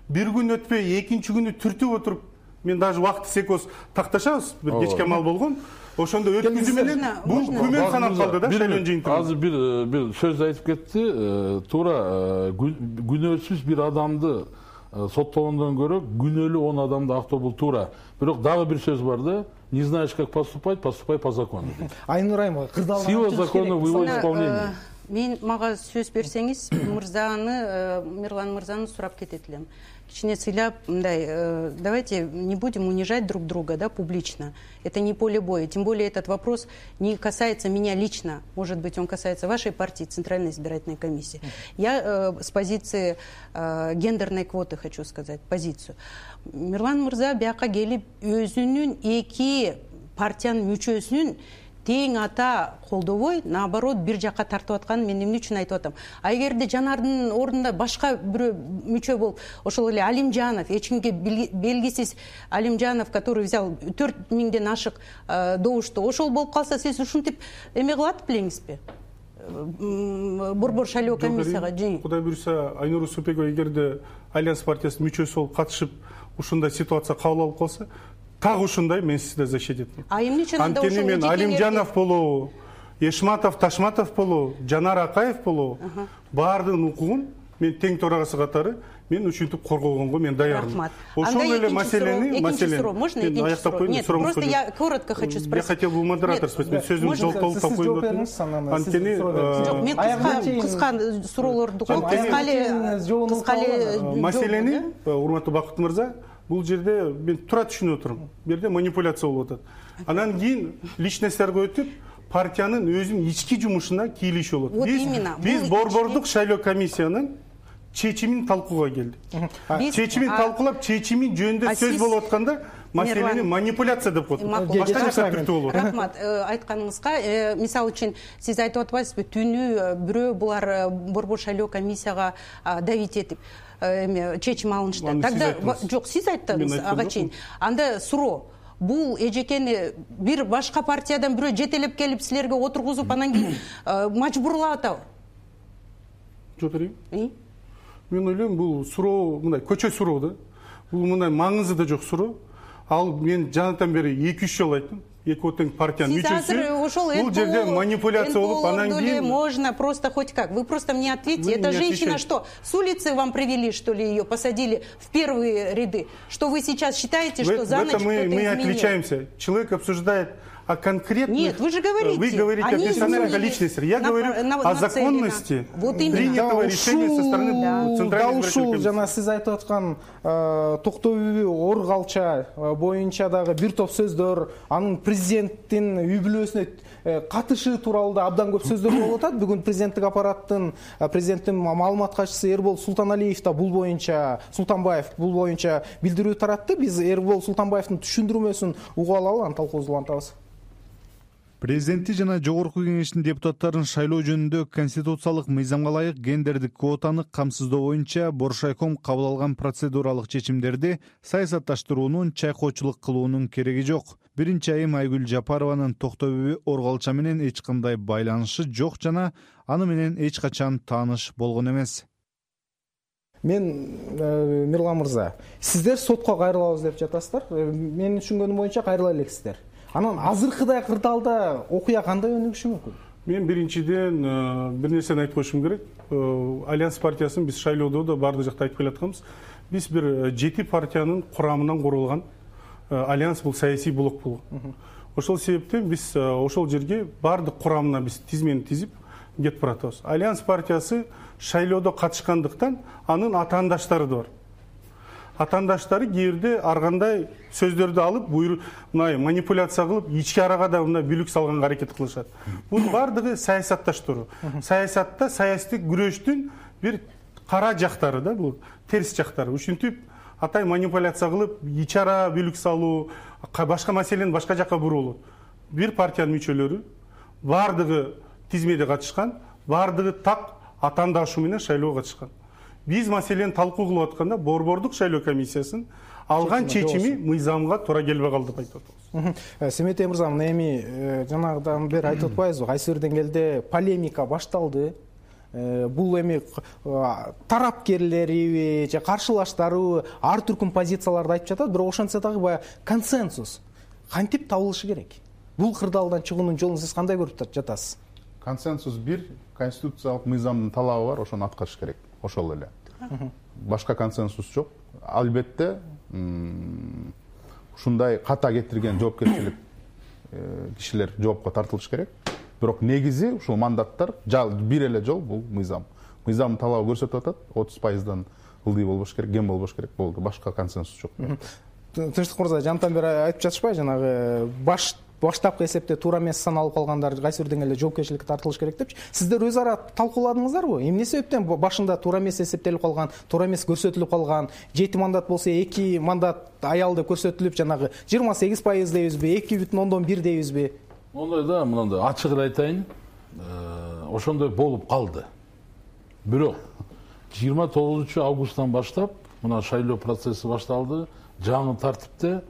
бир күн өтпөй экинчи күнү түртүп отуруп, мен даже убакыт секоз такташабыз, бир кечке мал болгон. Ошондо өткүзүү менен бул күмөн санап калды да шайлоо жыйынтыгы. Азыр бир бир сөз айтып кетти. Туура күнөөсүз бир адамды соттогондон көрө күнөөлүү он адамды актоо бул туура. Бирок дагы бир сөз бар да. Не знаешь, как поступать, поступай по закону. Айнур Айымова, кырдаалган сила закона в его исполнении. Мен мага сөз берсеңиз, мырзаны, Мирлан мырзаны сурап кетет элем. Кичине сыйлап, мындай, давайте не будем унижать друг друга, да, публично. Это не поле боя. Тем более этот вопрос не касается меня лично. Может быть, он касается вашей партии, Центральной избирательной комиссии. Я э, с позиции э, гендерной квоты хочу сказать, позицию. Мирлан мырза бияка келип өзүнүн эки партиянын мүчөсүнүн тең ата колдобой, наоборот, бир жакка тартып атканын мен эмне үчүн айтып атам. А эгерде Жанардын ордунда башка бирөө мүчө болуп, ошол эле Алимжанов, эч кимге белгисиз Алимжанов, который взял төрт миңден ашык добушту, ошол болуп калса, сиз ушинтип эме кылат белеңизби? Борбор шайлоо комиссияга жи. Кудай буйруса, Айнур Усупбекова эгерде Альянс партиясынын мүчөсү болуп катышып, ушундай ситуация кабыл алып калса, так ушундай мен сизди защитить этмейм. А эмне үчүн анда ошол мен Алимжанов болобу, Эшматов, Ташматов болобу, Жанар Акаев болобу, баардыгынын укугун мен тең төрагасы катары мен ушинтип коргогонго мен даярмын. Ошол эле маселени, маселени. Можно аяктап коеюн? Нет, просто я коротко хочу спросить. Я хотел бы модератор спросить, мен сөзүмдү жолтолуп коюп атам. Анткени жок, мен кыска кыска суроолорду коюп, кыска эле кыска эле маселени, урматтуу Бакыт мырза, бул жерде мен туура түшүнүп отурум. Бул жерде манипуляция болуп атат. Анан кийин личностьтарга өтүп, партиянын өзүнүн ички жумушуна кийлиш болот. Биз биз борбордук шайлоо комиссиянын чечимин талкууга келдик. Чечимин талкуулап, чечими жөнүндө сөз болуп атканда маселени манипуляция деп коет. Башка жакка түртүү болот. Рахмат, айтканыңызга. Мисалы үчүн сиз айтып атпайсызбы, түнү бирөө булар борбор шайлоо комиссияга давить этип чечим алынышты. Тогда жок, сиз айттыңыз ага чейин. Анда суроо. бул эжекени бир башка партиядан бирөө жетелеп келип силерге отургузуп анан кийин мажбурлап атабы? Жок берейин. Мен ойлойм, бул суроо мындай көчө суроо да. Бул мындай маңызы да жок суроо. Ал мен жанатан бери эки үч жолу айттым. Эки отен партиянын мүчөсү. Бул жерде манипуляция болуп, анан кийин можно просто хоть как. Вы просто мне ответьте. Эта женщина что, с улицы вам привели, что ли, ее посадили в первые ряды? Что вы сейчас считаете, что за ночь кто-то изменил? Мы отличаемся. Человек обсуждает о конкретных... Нет, вы же говорите. Вы говорите о персональных личностях. Я говорю о законности принятого решения со стороны Центральной избирательной комиссии. Жана сиз айтып аткан токтоо ор калча боюнча дагы бир топ сөздөр, анын президенттин үй бүлөсүнө катышы тууралуу да абдан көп сөздөр болуп атат. Бүгүн президенттик аппараттын президенттин маалымат катчысы Эрбол Султаналиев да бул боюнча, Султанбаев бул боюнча билдирүү таратты. Биз Эрбол Султанбаевдин түшүндүрмөсүн угуп алалы, анан талкуубузду улантабыз. Президенти жана жогорку кеңештин депутаттарын шайлоо жөнүндө конституциялык мыйзамга ылайык гендердик квотаны камсыздоо боюнча Боршайком кабыл алган процедуралык чечимдерди саясатташтыруунун, чайкоочулук кылуунун кереги жок. Биринчи айым Айгүл Жапарованын токтообүбү Оргалча менен эч кандай байланышы жок жана аны менен эч качан тааныш болгон эмес. Мен Мирлан мырза, сиздер сотко кайрылабыз деп жатасыздар. Менин түшүнгөнүм боюнча кайрыла элексиздер. Анан азыркыдай кырдаалда окуя кандай өнүгүшү мүмкүн? Мен биринчиден бир нерсени айтып коюшум керек. Альянс партиясын биз шайлоодо да баардык жакта айтып келатканбыз. Биз бир жети партиянын курамынан курулган альянс, бул саясий блок болгон. Ошол себептен биз ошол жерге баардык курамына биз тизмени тизип кетип баратабыз. Альянс партиясы шайлоодо катышкандыктан анын атаандаштары да бар. Атаандаштары кээде ар кандай сөздөрдү алып, мындай манипуляция кылып, ички арага да мындай бүлүк салганга аракет кылышат. Бул баардыгы саясатташтыруу. Саясатта саясий күрөштүн бир кара жактары да, бул терс жактары. Ушинтип атай манипуляция кылып, ички ара бүлүк салуу, башка маселени башка жакка буруу. Бир партиянын мүчөлөрү баардыгы тизмеде катышкан, баардыгы так атаандашуу менен шайлоого катышкан. Биз маселени талкуу кылып атканда борбордук шайлоо комиссиясынын алган чечими мыйзамга туура келбей калды деп айтып атабыз. Семетей мырза, эми жанагыдан бери айтып атпайбызбы? Кайсы бир деңгээлде полемика башталды. Бул эми тарапкерлери же каршылаштары ар түркүн позицияларды айтып жатат, бирок ошентсе дагы баягы консенсус кантип табылышы керек? Бул кырдаалдан чыгуунун жолун сиз кандай көрүп жатасыз? Консенсус бир, конституциялык мыйзамдын талабы бар, ошону аткарыш керек. Ошол эле. Башка консенсус жок. Албетте, ушундай ката кетирген жоопкерчилик кишилер жоопко тартылыш керек. Бирок негизи ушул мандаттар бир эле жол, бул мыйзам. Мыйзамдын талабы көрсөтүп атат, отуз пайыздан ылдый болбош керек, кем болбош керек болду. Башка консенсус жок. Тынчтык мырза, жантан бери айтып жатышпайбы, жанагы баш баштапкы эсепте туура эмес саналып калгандар кайсы бир деңгээлде жоопкерчиликке тартылыш керек депчи. Сиздер өз ара талкууладыңыздарбы? Эмне себептен башында туура эмес эсептелип калган, туура эмес көрсөтүлүп калган, жети мандат болсо эки мандат аял деп көрсөтүлүп, жанагы жыйырма сегиз пайыз дейбизби, эки бүтүн ондон бир дейбизби? Ондай да, мындай ачык эле айтайын, ошондой болуп калды. Бирок жыйырма тогузунчу августтан баштап мына шайлоо процесси башталды. Жаңы тартипте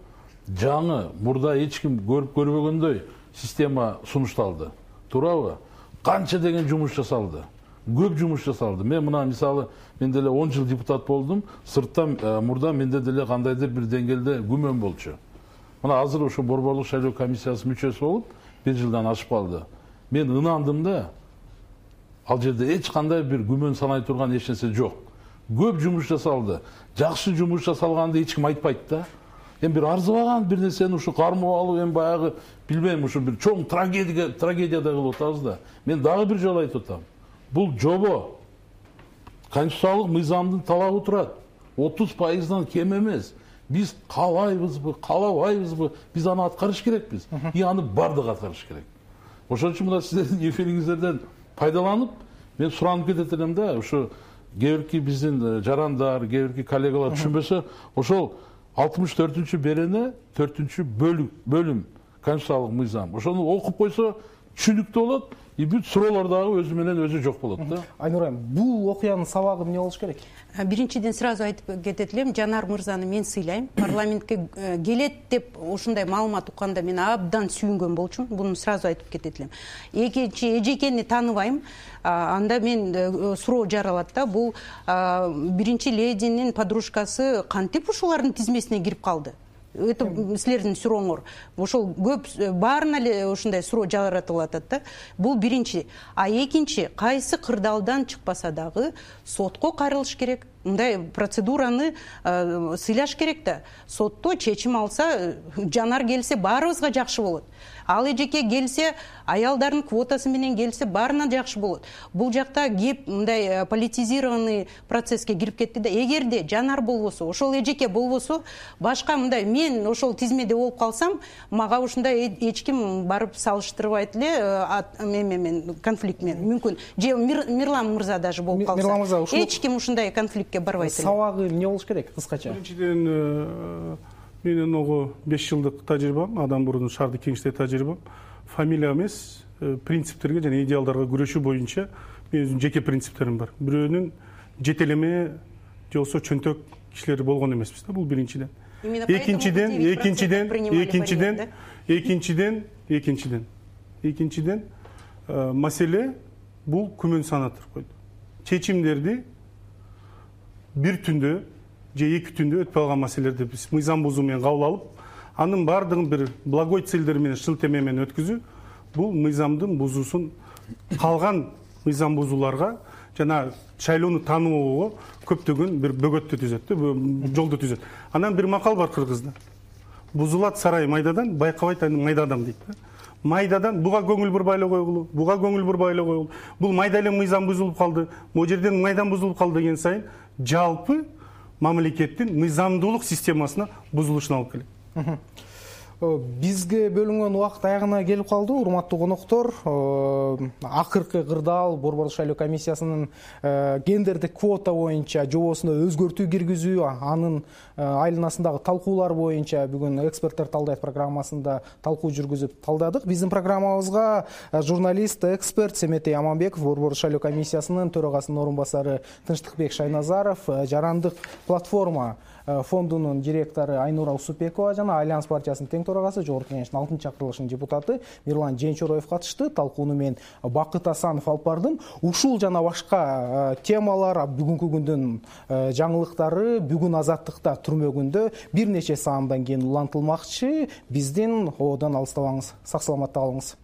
жаңы мурда эч ким көрүп көрбөгөндөй система сунушталды. Туурабы? Канча деген жумуш жасалды. Көп жумуш жасалды. Мен мына мисалы, мен деле он жыл депутат болдум. Сырттан мурда менде деле кандайдыр бир деңгээлде күмөн болчу. Мына азыр ошо борборлук шайлоо комиссиясы мүчөсү болуп, бир жылдан ашып калды. Мен ынандым да, ал жерде эч кандай бир күмөн санай турган эч нерсе жок. Көп жумуш жасалды. Жакшы жумуш жасалганды эч ким айтпайт да. Эми бир арзыбаган бир нерсени ушу кармап алып, эми баягы билбейм, ушу бир чоң трагедия трагедиядай кылып атабыз да. Мен дагы бир жолу айтып атам. Бул жобо конституциялык мыйзамдын талабы турат. отуз пайыздан кем эмес. Биз каалайбызбы, каалабайбызбы, биз аны аткарыш керекпиз. И аны бардык аткарыш керек. Ошон үчүн мына сиздердин эфириңиздерден пайдаланып, мен суранып кетет элем да, ушу кээбирки биздин жарандар, кээбирки коллегалар түшүнбөсө, ошол алтымыш төртүнчү берене төртүнчү бөлүм конституциялык мыйзам. Ошону окуп койсо түшүнүктүү болот, и бүт суроолор дагы өзү менен өзү жок болот да. Айнур айым, бул окуянын сабагы эмне болуш керек? Биринчиден сразу айтып кетет элем, Жанар мырзаны мен сыйлайм. Парламентке келет деп ушундай маалымат укканда мен абдан сүйүнгөн болчумун. Буну сразу айтып кетет элем. Экинчи, эжекени тааныбайм. Анда мен суроо жаралат да, бул биринчи лединин подружкасы кантип ушулардын тизмесине кирип калды? Это силердин сурооңор. Ошол көп баарына эле ушундай суроо жаратылып атат да. Бул биринчи. А экинчи, кайсы кырдаалдан чыкпаса дагы сотко кайрылыш керек. Мындай процедураны сыйлаш керек да. Сотто чечим алса, Жанар келсе баарыбызга жакшы болот. Ал эжеке келсе, аялдардын квотасы менен келсе, баарына жакшы болот. Бул жакта кеп мындай политизированный процесске кирип кетти да. Эгерде Жанар болбосо, ошол эжеке болбосо, башка мындай мен ошол тизмеде болуп калсам, мага ушундай эч ким барып салыштырбайт эле мен конфликт менен. Мүмкүн же Мирлан мырза даже болуп калса. Эч ким ушундай конфликтке барбайт эле. Сабагы эмне болуш керек кыскача? Биринчиден, менин ого беш жылдык тажрыйбам, адам мурун шаардык кеңеште тажрыйбам. Фамилия эмес, принциптерге жана идеалдарга күрөшүү боюнча менин өзүмдүн жеке принциптерим бар. Бирөөнүн жетелеме же болбосо чөнтөк кишилери болгон эмеспиз да, бул биринчиден. Экинчиден, экинчиден, экинчиден, экинчиден, экинчиден, экинчиден маселе бул күмөн санатыр койду. Чечимдерди бир түндө же эки түндө өтпөй калган маселелерди биз мыйзам бузуу менен кабыл алып, анын баардыгын бир благой целдер менен шын теме менен өткүзүү, бул мыйзамдын бузуусун калган мыйзам бузууларга жана шайлоону тааныбоого көптөгөн бир бөгөттү түзөт, жолду түзөт. Анан бир макал бар кыргызда. Бузулат сарай майдадан, байкабайт аны майда адам дейт да. Майдадан буга көңүл бурбай эле койгулу, буга көңүл бурбай эле койгулу. Бул майда эле мыйзам бузулуп калды, могу жерден майдан бузулуп калды деген сайын жалпы мамлекеттин мыйзамдуулук системасына бузулушуна алып келет. Бизге бөлүнгөн убакыт аягына келип калды, урматтуу коноктор. Акыркы кырдаал Борбордук шайлоо комиссиясынын гендердик квота боюнча жобосуна өзгөртүү киргизүү, анын айланасындагы талкуулар боюнча бүгүн эксперттер талдайт программасында талкуу жүргүзүп талдадык. Биздин программабызга журналист, эксперт Семетей Аманбеков, Борбордук шайлоо комиссиясынын төрагасынын орун басары Тынчтыкбек Шайназаров, Жарандык платформа фондунун директору Айнура Усупбекова жана Альянс партиясынын тең төрагасы, жогорку кеңештин алтынчы чакырылышынын депутаты Мирлан Женчороев катышты. Талкууну мен Бакыт Асанов алып бардым. Ушул жана башка темалар, бүгүнкү күндүн жаңылыктары бүгүн Азаттыкта түрмөгүндө бир нече саамдан кийин улантылмакчы. Биздин ободон алыстабаңыз. Сак саламатта калыңыз.